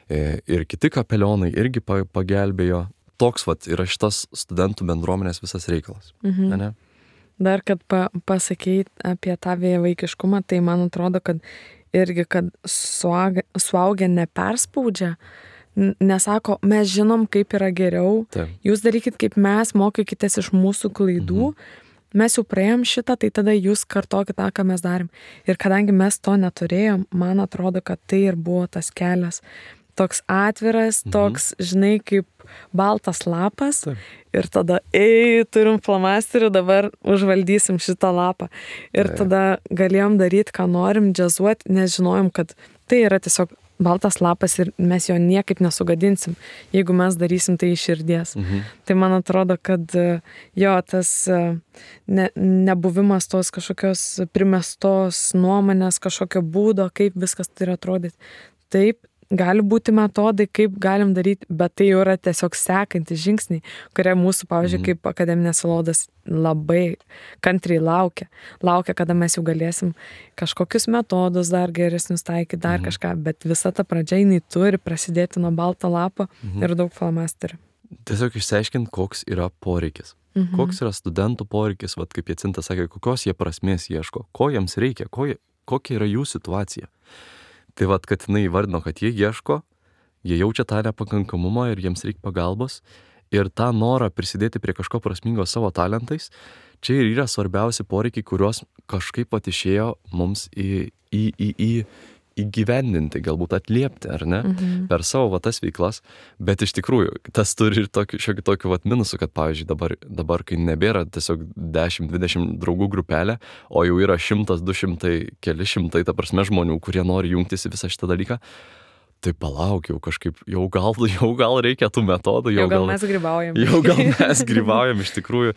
Ir kiti kapelionai irgi pagelbėjo. Toks yra šitas studentų bendruomenės visas reikalas. Ne? Dar, kad pasakyti apie tą vėjavaikiškumą, tai man atrodo, kad irgi, kad suaugę neperspaudžia, nesako, mes žinom, kaip yra geriau, jūs darykit kaip mes, mokykitės iš mūsų klaidų, mes jau praėjom šitą, tai tada jūs kartokit tą, ką mes darėm. Ir kadangi mes to neturėjom, man atrodo, kad tai ir buvo tas kelias. Toks atviras, toks, žinai, kaip baltas lapas. Ir tada, turim flomasterį, dabar užvaldysim šitą lapą. Ir tada galėjom daryti, ką norim, džiazuoti, nes žinojom, kad tai yra tiesiog baltas lapas ir mes jo niekaip nesugadinsim, jeigu mes darysim tai iš širdies. Tai man atrodo, kad jo tas nebuvimas tos kažkokios primestos nuomonės, kažkokio būdo, kaip viskas turi atrodyti. Taip, gali būti metodai, kaip galim daryti, bet tai jau yra tiesiog sekantis žingsniai, kurie mūsų, pavyzdžiui, kaip akademinės sielovados labai kantriai laukia, kada mes jau galėsim kažkokius metodus dar geresnius taikyti, dar kažką, bet visa ta pradžia, jinai turi prasidėti nuo balto lapo ir daug flomasterių. Tiesiog išsiaiškinti, koks yra poreikis. Koks yra studentų poreikis, kaip Jacinta sakė, kokios jie prasmės ieško, ko jiems reikia, kokia yra jų situacija. Tai kad jinai įvardino, kad jie ieško, jie jaučia tą nepakankamumą ir jiems reikia pagalbos Ir tą norą prisidėti prie kažko prasmingo savo talentais, čia ir yra svarbiausi poreikiai, kuriuos kažkaip pat išėjo mums įgyvendinti, galbūt atliepti, ar ne, per savo va tas veiklas, bet iš tikrųjų, tas turi ir šiokį tokį vat minusų, kad pavyzdžiui dabar, kai nebėra tiesiog 10-20 draugų grupelė, o jau yra 100, 200, keli šimtai, ta prasme, žmonių, kurie nori jungtis į visą šitą dalyką, tai palauk, jau kažkaip, jau gal reikia tų metodų, jau gal mes grybaujam. Jau gal mes grybaujam, iš tikrųjų,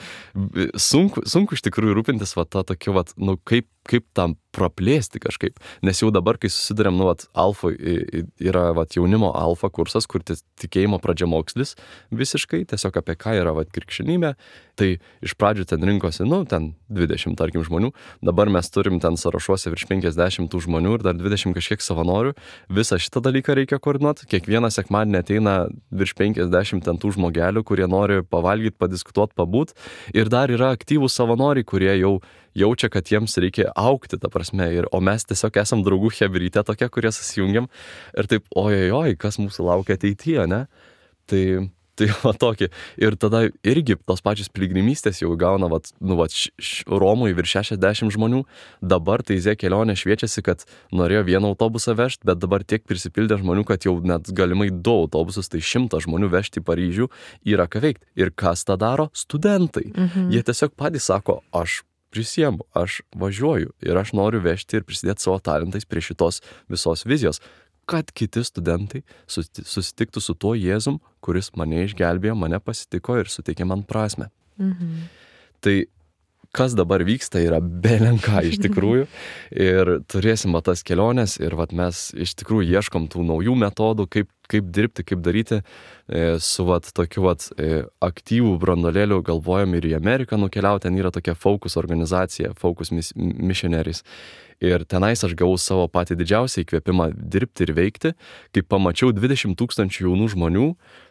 sunku iš tikrųjų rūpintis va tą tokį, va, nu, kaip tam praplėsti kažkaip, nes jau dabar, kai susidurėm, nu, vat, alfa yra, vat, jaunimo alfa kursas, kur tikėjimo pradžiamokslis visiškai, tiesiog apie ką yra, vat, krikščionybė, tai iš pradžių ten rinkosi, nu, ten 20, tarkim, žmonių, dabar mes turim ten sąrašuose virš 50 tų žmonių ir dar 20 kažkiek savanorių, visą šitą dalyką reikia koordinuoti, kiekvieną sekmadienį ateina virš 50 ten tų žmogelių, kurie nori pavalgyti, padiskutuoti, pabūt, ir dar yra aktyvūs savanoriai, kurie jau jaučia, kad jiems reikia augti, ta prasme, o mes tiesiog esam draugų chebrytė tokia, kurie susijungiam ir taip, ojojoj, kas mūsų laukia ateityje, ne? Tai va tokį. Ir tada irgi tos pačios piligrimystės jau gauna, Romui virš 60 žmonių, dabar tai Zė kelionė šviečiasi, kad norėjo vieną autobusą vežti, bet dabar tiek prisipildė žmonių, kad jau net galimai 2 autobusus, tai 100 žmonių vežti į Paryžių yra ką veikti. Ir kas tą daro? Studentai. Jie tiesiog patys sako, aš prisiemu, aš važiuoju ir aš noriu vežti ir prisidėti savo talentais prie šitos visos vizijos, kad kiti studentai susitiktų su tuo Jėzum, kuris mane išgelbėjo, mane pasitiko ir suteikė man prasmę. Tai kas dabar vyksta yra belenka iš tikrųjų ir turėsim tas keliones ir mes iš tikrųjų ieškom tų naujų metodų, kaip dirbti, kaip daryti su tokiu aktyvų branduolėliu, galvojam ir į Ameriką nukeliauti, ten yra tokia Focus organizacija, Focus Missionaries. Ir tenais aš gavau savo patį didžiausią įkvėpimą dirbti ir veikti, kai pamačiau 20 000 jaunų žmonių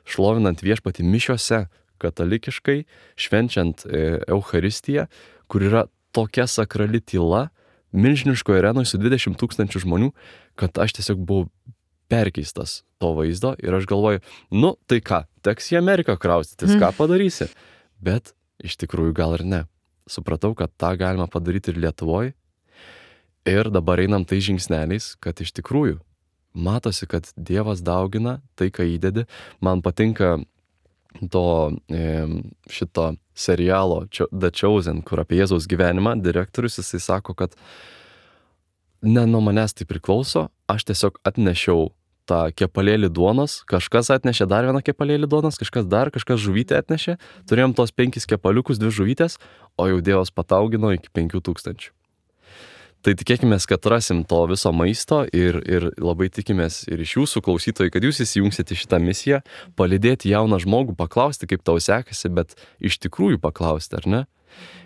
šlovinant viešpatį mišiose, katalikiškai, švenčiant Eucharistiją, kur yra tokia sakrali tyla, milžiniškoje arenoje su 20 000 žmonių, kad aš tiesiog buvau perkeistas to vaizdo ir aš galvoju, nu tai ką, teks į Ameriką kraustytis, ką padarysi? Bet iš tikrųjų gal ir ne. Supratau, kad tą galima padaryti ir Lietuvoje. Ir dabar einam tai žingsneliais, kad iš tikrųjų matosi, kad Dievas daugina tai, ką įdedi. Man patinka šito serialo The Chosen, kur apie Jėzaus gyvenimą direktorius, jisai sako, kad ne nuo manęs tai priklauso, aš tiesiog atnešiau tą kepalėlį duonos, kažkas atnešė dar vieną kepalėlį duonos, kažkas žuvytę atnešė, turėjom tos 5 kepaliukus, 2 žuvytės, o jau Dievas pataugino iki 5000. Tai tikėkimės, kad rasim to viso maisto ir labai tikimės ir iš jūsų klausytojai, kad jūs įsijungsite į šitą misiją, palydėti jauną žmogų, paklausti, kaip tau sekasi, bet iš tikrųjų paklausti, ar ne?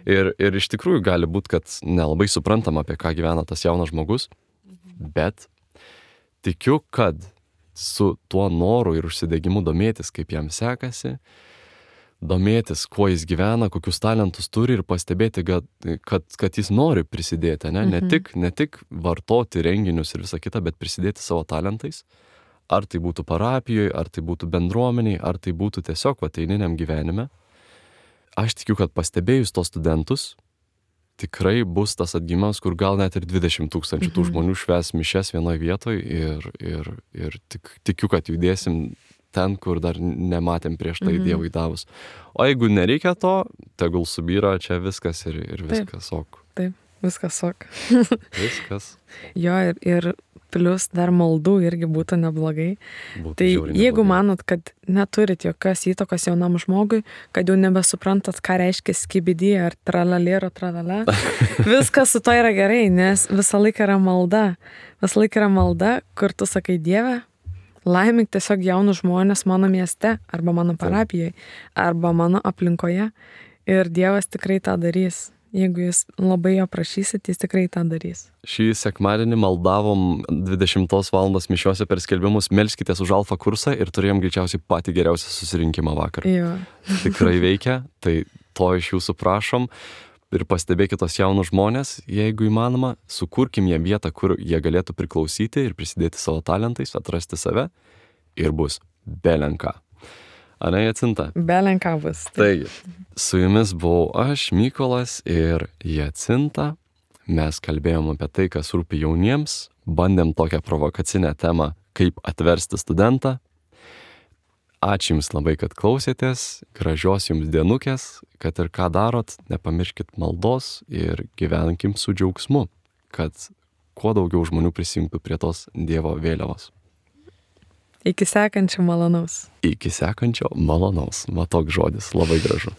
Ir iš tikrųjų gali būti, kad nelabai suprantam, apie ką gyvena tas jaunas žmogus, bet tikiu, kad su tuo noru ir užsidegimu domėtis, kaip jam sekasi, domėtis, kuo jis gyvena, kokius talentus turi ir pastebėti, kad jis nori prisidėti, ne? Ne tik vartoti renginius ir visą kitą, bet prisidėti savo talentais. Ar tai būtų parapijoje, ar tai būtų bendruomeniai, ar tai būtų tiesiog eiliniam gyvenime. Aš tikiu, kad pastebėjus tos studentus, tikrai bus tas atgimimas, kur gal net ir 20 000 tų žmonių švęs mišias vienoje vietoje ir tikiu, kad judėsim ten, kur dar nematėm prieš tai Dievui davus. O jeigu nereikia to, tegul subyra čia viskas ir viskas ok. Taip, viskas ok. Viskas. Jo, ir plius dar maldų irgi būtų neblogai. Tai jeigu manot, kad neturit jokios įtakos jaunam žmogui, kad jau nebesuprantat, ką reiškia skibidį ar tralalėro tralala, viskas su to yra gerai, nes visą laiką yra malda. Visą laiką yra malda, kur tu sakai, Dieve, laimink tiesiog jaunus žmonės mano mieste, arba mano parapijoje, arba mano aplinkoje. Ir Dievas tikrai tą darys. Jeigu jūs labai jo prašysit, jis tikrai tą darys. Šį sekmadienį maldavom 20 valandos mišiuose per skelbimus, melskitės už alfa kursą ir turėjom greičiausiai patį geriausią susirinkimą vakar. Jo. Tikrai veikia, tai to iš jūsų prašom. Ir pastebėkit tos jaunus žmonės, jeigu įmanoma, sukurkim jiem vietą, kur jie galėtų priklausyti ir prisidėti savo talentais, atrasti save ir bus belenka. Ane, Jacinta? Belenką bus. Taigi, su jumis buvau aš, Mykolas ir Jacinta. Mes kalbėjom apie tai, kas rūpi jauniems, bandėm tokią provokacinę temą, kaip atversti studentą. Ačiū Jums labai, kad klausėtės, gražios Jums dienukės, kad ir ką darot, nepamirškit maldos ir gyvenkim su džiaugsmu, kad kuo daugiau žmonių prisijungtų prie tos Dievo vėliavos. Iki sekančio malonaus. Iki sekančio malonaus. Va toks žodis, labai gražu.